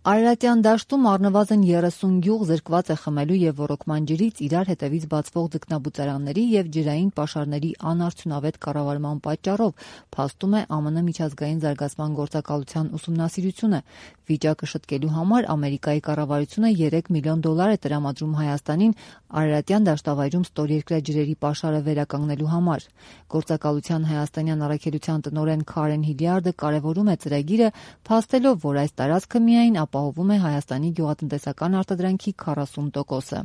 Արարատյան դաշտում առնվազն 30 գյուղ զրկված է խմելու և ոռոգման ջրից իրար հետևից բացվող ձկնաբուծարանների և ջրային պաշարների անարդյունավետ կառավարման պատճառով, փաստում է ԱՄՆ միջազգային զարգացման գործակալության ուսումնասիրությունը։ Վիճակը շտկելու համար Ամերիկայի կառավարությունը $3 միլիոն է տրամադրում Հայաստանին Արարատյան դաշտավայրում ստորերկրյա ջրերի պաշարը վերականգնելու համար։ Գործակալության հայաստանյան առաքելության տնօրեն Քարեն Հիլիարդը կարևորում է ծրագիրը, փաստելով, որ այս տարածքը միայն ապահովում է Հայաստանի գյուղատնտեսական արտադրանքի 40%-ը։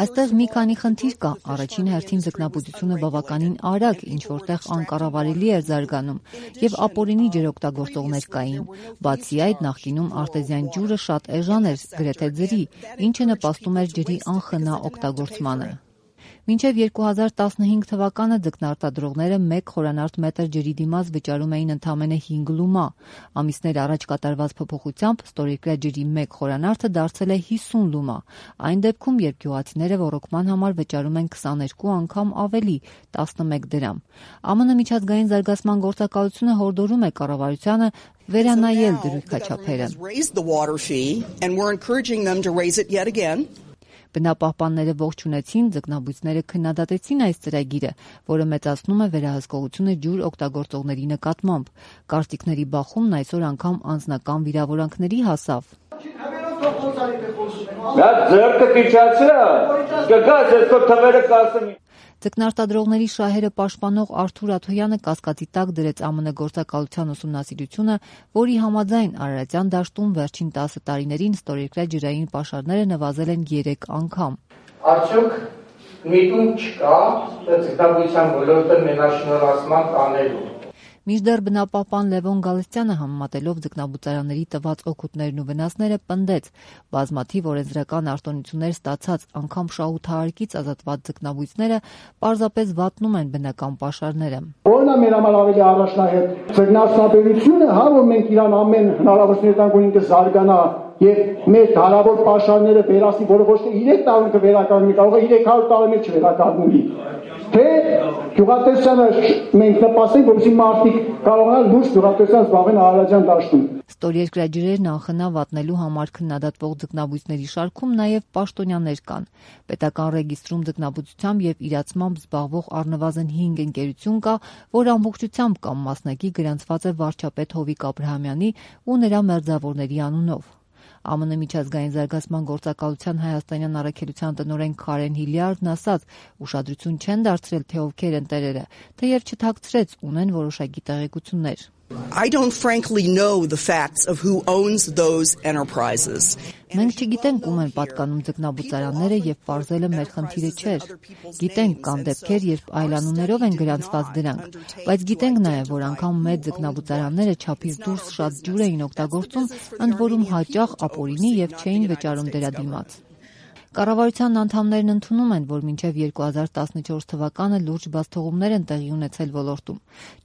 Այստեղ մի քանի խնդիր կա։ Առաջին հերթին ձկնաբուծությունը բավականին արագ, ինչ որտեղ անկառավարելի էր զարգանում, և ապօրինի ջրօգտագործողներ կային։ Բացի այդ, նախկինում արտեզյան ջուրը շատ էժան էր, գրեթե ձրի, ինչը նպաստում էր ջրի անխնա օգտագործմանը։ Մինչև 2015 թվականը ձկնարտադրողները 1 խորանարդ մետր ջրի դիմաց վճարում էին ընդամենը 5 լումա։ Ամիսներ առաջ կատարված փոփոխությամբ ստորերկրյա ջրի 1 խորանարդը դարձել է 50 լումա։ Այն դեպքում, երբ գյուղացիները ոռոգման համար վճարում են 22 անգամ ավելի՝ 11 դրամ։ ԱՄՆ միջազգային զարգացման գործակալությունը հորդորում է կառավարությանը վերանայել դրույքաչափերը։ Բնապահպանները ողջունեցին, ձկնաբույծները քննադատեցին այս ծրագիրը, որը մեծացնում է վերահսկողությունը ջուր օգտագործողների նկատմամբ։ Կարծիքների բախումն այսօր անգամ անձնական վիրավորանքների հասավ։ Ձկնարտադրողների շահերը պաշտպանող Արթուր Աթոյանը կասկածի տակ դրեց ԱՄՆ գործակալության ուսումնասիրությունը, որի համաձայն Արարատյան դաշտում վերջին 10 տարիներին ստորերկրյա ջրային պաշարները նվազել են 3 անգամ։ Արդյոք միտում չկա ձկնաբուծության ոլորտը մենաշնորհացման տանելու։ Մինչդեռ բնապահպան Լևոն Գալստյանը համեմատելով ձկնաբուծարանների տված օգուտներն ու վնասները պնդեց, բազմաթիվ օրենսդրական արտոնություններ ստացած, անգամ շահութահարկից ազատված ձկնաբույծները պարզապես վատնում են բնական պաշարները։ Որն է մեր համար ավելի առաջնահերթ ձկնարդյունաբերությունը, որ մենք իրան ամեն հնարավորություն տանք, որ ինքը զարգանա եւ մեր հարավոր պաշարները վերացնի, որը ոչ թե 3 տարում կվերականգնի, կարող է 300 տարի մեջ վերականգնի։ Թե գյուղատնտեսությանը մենք նպաստենք, որպեսզի մարդիկ կարողանան լուրջ գյուղատնտեսությամբ զբաղվել Արարատյան դաշտում։ Ստորերկրյա ջրերն անխնա վատնելու համար քննադատվող ձկնաբույծների շարքում նաև պաշտոնյաներ կան։ Պետական ռեգիստրում ձկնաբուծությամբ եւ իրացմամբ զբաղվող առնվազն 5 ընկերություն կա, որ ամբողջությամբ կամ մասնակի գրանցված է վարչապետ Հովիկ Աբրահամյանի ու նրա մերձավորների անունով։ ԱՄՆ միջազգային զարգացման գործակալության հայաստանյան առաքելության տնօրեն Քարեն Հիլիարդն ասաց, ուշադրություն չեն դարձրել, թե ովքեր են տերերը, թեև չթաքցրեց, ունեն որոշակի տեղեկություններ։ Մենք չգիտենք ում են պատկանում ձկնաբուծարանները և պարզելը մեր խնդիրը չէր։ Գիտենք կան դեպքեր, երբ այլանուններով են գրանցված դրանք, բայց գիտենք նաև, որ անգամ մեծ ձկնաբուծարանները չափից դուրս շատ ջուր էին օգտագործում, ընդ որում հաճախ ապօրինի և չէին վճարում դրա դիմաց։ Կառավարության անդամներն ընդունում են, որ մինչև 2014 թվականը լուրջ բացթողումներ են տեղի ունեցել ոլորտում։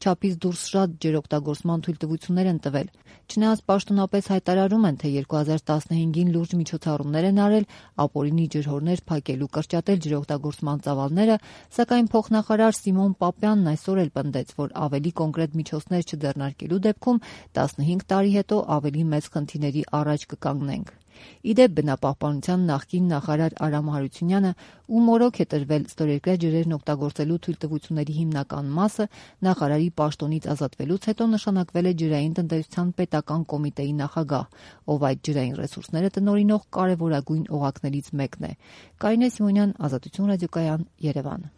Չափից դուրս շատ ջրօգտագործման թույլտվություններ են տվել։ Չնայած պաշտոնապես հայտարարում են, թե 2015-ին լուրջ միջոցառումներ են արել, ապօրինի ջրհորներ փակելու, կրճատել ջրօգտագործման ծավալները, սակայն փոխնախարար Սիմոն Պապյանն այսօր էլ պնդեց, որ ավելի կոնկրետ միջոցներ չձեռնարկելու դեպքում 15 տարի հետո ավելի մեծ խնդիրների առաջ կկանգնենք։ Իդեպ բնապահպանության նախկին նախարար Արամ Հարությունյանը, ում մորոք է տրվել ստորերկրյա ջրերն օգտագործելու թույլտվությունների հիմնական մասը, նախարարի պաշտոնից ազատվելուց հետո նշանակվել է ջրային տնտեսության պետական կոմիտեի նախագահ, ով այդ ջրային ռեսուրսները տնօրինող կարևորագույն օղակներից մեկն է։ Կարինե Սիմոնյան, Ազատություն ռադիոկայան, Երևան։